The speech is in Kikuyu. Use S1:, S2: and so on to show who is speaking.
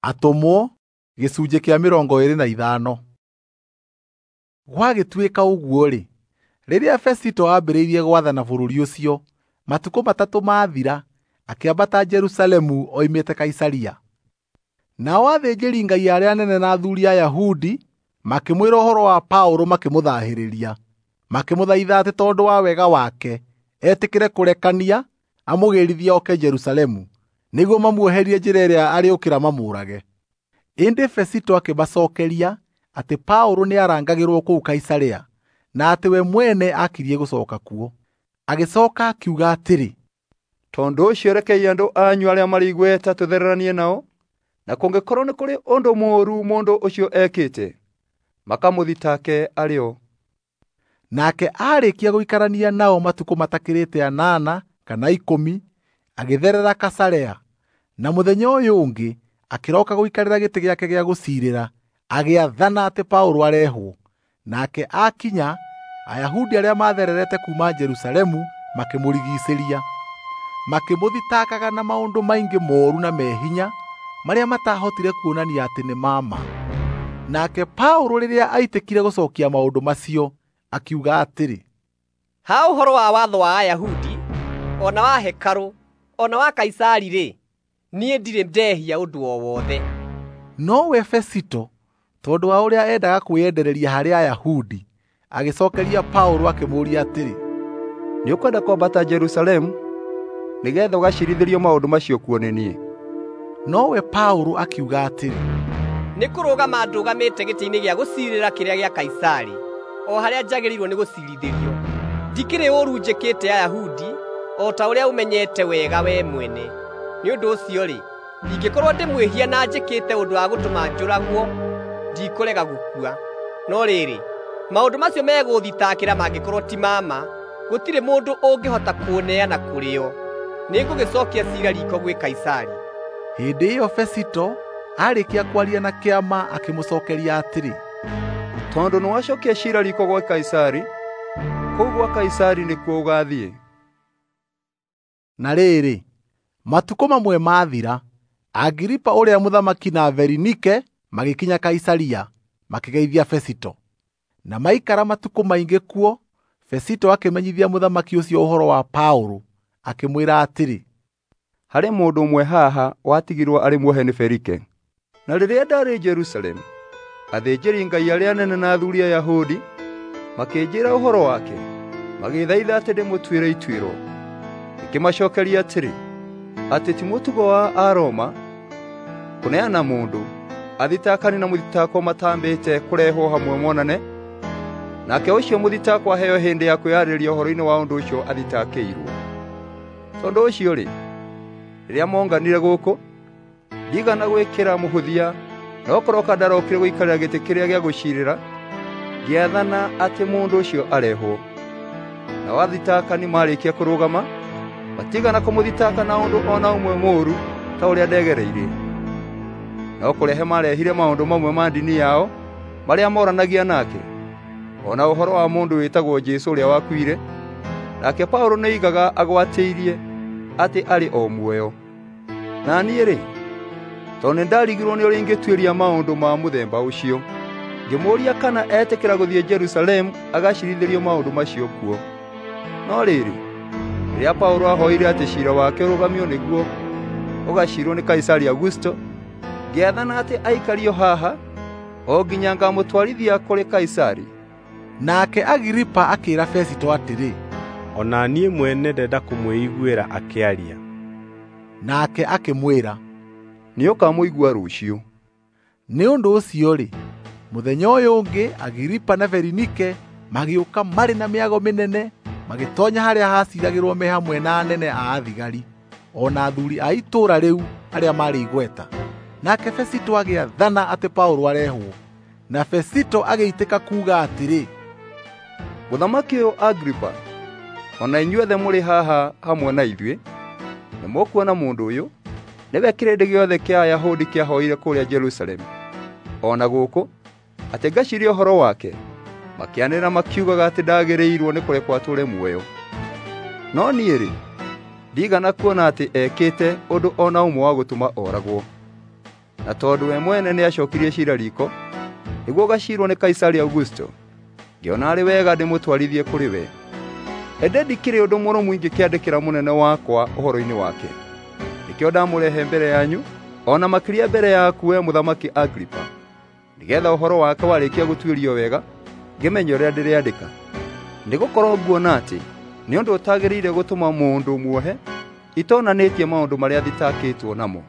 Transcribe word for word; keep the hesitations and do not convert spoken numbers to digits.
S1: Atũmwo gĩcunjĩ kĩa mĩrongo ĩĩrĩ na ithano. Gwagĩtuĩka ũguo-rĩ, rĩrĩa Fesito aambĩrĩirie gwathana bũrũri ũcio, matukũ matatũ maathira, akĩambata Jerusalemu oimĩte Kaisaria. Nao athĩnjĩri-Ngai arĩa anene na athuuri a Ayahudi makĩmwĩra ũhoro wa Paũlũ makĩmũthahĩrĩria, makĩmũthaitha atĩ tondũ wa wega wake etĩkĩre kũrekania amũgĩrithie oke Jerusalemu, nĩguo mamuoherie njĩra ĩrĩa arĩũkĩra mamũũrage. Ĩndĩ Fesito akĩmacookeria atĩ Paũlũ nĩarangagĩrwo kũu Kaisaria, na atĩ we mwene akirie gũcooka kuo. Agĩcooka akiuga atĩrĩ,
S2: "Tondũ ũcio rekei andũ anyu arĩa marĩ igweta tũthereranie nao, na kũngĩkorwo nĩ kũrĩ ũndũ mũũru mũndũ ũcio ekĩte, makamũthitake arĩ o."
S1: Nake aarĩkia gũikarania nao matukũ matakĩrĩte anana kana ikũmi, agĩtherera Kaisarea. Na mũthenya ũyũ ũngĩ akĩroka gũikarĩra gĩtĩ gĩake gĩa gũciirĩra, agĩathana atĩ Paũlũ arehwo. Nake aakinya, Ayahudi arĩa maathererete kuuma Jerusalemu makĩmũrigiicĩria, makĩmũthitakaga na maũndũ maingĩ mooru na me hinya marĩa mataahotire kuonania atĩ nĩ ma ma. Nake Paũlũ rĩrĩa aitĩkire gũcookia maũndũ macio, akiuga atĩrĩ,
S3: "Ha ũhoro wa watho wa Ayahudi, o na wa hekarũ, o na wa Kaisari-rĩ, niĩ ndirĩ ndehia ũndũ o wothe."
S1: Nowe Fesito, tondũ wa ũrĩa endaga kwĩyendereria harĩ Ayahudi, agĩcookeria Paũlũ akĩmũũria atĩrĩ,
S2: "Nĩũkwenda kwambata Jerusalemu nĩgeetha ũgaciirithĩrio maũndũ macio kuo nĩ niĩ?"
S1: Nowe Paũlũ akiuga atĩrĩ,
S3: "Nĩ kũrũgama ndũgamĩte gĩtĩ-inĩ gĩa gũciirĩra kĩrĩa gĩa Kaisari, o harĩa njagĩrĩirwo nĩ gũciirithĩrio. Ndikĩrĩ ũũru njĩkĩte Ayahudi, o ta ũrĩa ũmenyete wega wee mwene. Nĩ ũndũ ũcio-rĩ, ingĩkorwo ndĩ mwĩhia na njĩkĩte ũndũ wa gũtũma njũragwo, ndikũrega gũkua. No rĩrĩ, maũndũ macio megũũthitakĩra mangĩkorwo ti ma ma, gũtirĩ mũndũ ũngĩhota kũũneana kũrĩ o. Nĩngũgĩcookia ciira riiko gwĩ Kaisari."
S1: Hĩndĩ ĩyo Fesito aarĩkia kwaria na kĩama akĩmũcookeria atĩrĩ,
S2: "Tondũ nĩwacookia ciira riiko gwa Kaisari, kũu gwa Kaisari nĩkuo ũgaathiĩ."
S1: Na rĩrĩ, matukũ mamwe maathira, Agiripa ũrĩa mũthamaki na Berinike magĩkinya Kaisaria, makĩgeithia Fesito. Na maikara matukũ maingĩ kuo, Fesito akĩmenyithia mũthamaki ũcio ũhoro wa Paũlũ, akĩmwĩra atĩrĩ,
S2: "Harĩ mũndũ ũmwe haha watigirwo arĩ muohe nĩ Felike. Na rĩrĩa ndaarĩ Jerusalemu, athĩnjĩri-Ngai arĩa anene na athuuri a Ayahudi makĩnjĩĩra ũhoro wake, magĩthaitha atĩ ndĩmũtuĩre ituĩro. Ngĩkĩmacookeria atĩrĩ, atĩ ti mũtugo wa Aroma kũneana mũndũ athitakani na mũthitakwo matambĩte kũrehwo hamwe monane, nake ũcio mũthitakwo aheo hĩndĩ ya kwĩyarĩrĩria ũhoro-inĩ wa ũndũ ũcio athitakĩirwo. Tondũ ũcio-rĩ, rĩrĩa monganire gũkũ, ndigana gwĩkĩra mũhũthia, no kũroka ndarokire gũikarĩra gĩtĩ kĩrĩa gĩa gũciirĩra, ngĩathana atĩ mũndũ ũcio arehwo. Nao athitakani maarĩkia kũrũgama, matigana kũmũthitaka na ũndũ o na ũmwe mũũru ta ũrĩa ndegereirie. No kũrehe maarehire maũndũ mamwe ma ndini yao marĩa moranagia nake, o na ũhoro wa mũndũ wĩtagwo Jesũ ũrĩa wakuire, nake Paũlũ nĩoigaga agwatĩirie atĩ arĩ o muoyo. Na niĩ-rĩ, tondũ nĩndarigirwo nĩ ũrĩa ingĩtuĩria maũndũ ma mũthemba ũcio, ngĩmũũria kana etĩkĩra gũthiĩ Jerusalemu agaciirithĩrio maũndũ macio kuo. No rĩrĩ, rĩrĩa Paũlũ aahoire atĩ ciira wake ũrũgamio nĩguo ũgaciirwo nĩ Kaisari Augusto, ngĩathana atĩ aikario haha o nginya ngamũtwarithia kũrĩ Kaisari."
S1: Nake Agiripa akĩĩra Fesito atĩrĩ,
S4: "O na niĩ mwene ndenda kũmwĩiguĩra akĩaria."
S1: Nake akĩmwĩra,
S2: "Nĩũkamũigua rũciũ."
S1: Nĩ ũndũ ũcio-rĩ, mũthenya ũyũ ũngĩ Agiripa na Berinike magĩũka marĩ na mĩago mĩnene, magĩtoonya harĩa haciiragĩrwo me hamwe na anene a athigari, o na athuuri a itũũra rĩu arĩa maarĩ igweta. Nake Fesito agĩathana atĩ Paũlũ arehwo. Na Fesito agĩitĩka kuuga atĩrĩ,
S2: "Mũthamaki ũyũ Agiripa, o na inyuothe mũrĩ haha hamwe na ithuĩ, nĩmũkuona mũndũ ũyũ nĩwe kĩrĩndĩ gĩothe kĩa Ayahudi kĩahoire kũrĩa Jerusalemu, o na gũkũ, atĩ ngaciirie ũhoro wake, makĩanĩrĩra makiugaga atĩ ndagĩrĩirwo nĩ kũrekwo atũũre muoyo. No niĩ-rĩ, ndigana kuona atĩ ekĩte ũndũ o na ũmwe wa gũtũma oragwo. Na tondũ we mwene nĩacookirie ciira riiko nĩguo ũgaciirwo nĩ Kaisari Augusto, ngĩona arĩ wega ndĩmũtwarithie kũrĩ we. Ĩndĩ ndikĩrĩ ũndũ mũrũmu ingĩkĩandĩkĩra mũnene wakwa ũhoro-inĩ wake. Nĩkĩo ndamũrehe mbere yanyu, o na makĩria mbere yaku we Mũthamaki Agripa, nĩgeetha ũhoro wake warĩkia gũtuĩrio wega, ngĩmenye ũrĩa ndĩrĩandĩka. Nĩgũkorwo nguona atĩ nĩ ũndũ ũtagĩrĩire gũtũma mũndũ muohe itonanĩtie maũndũ marĩa thitakĩtwo namo.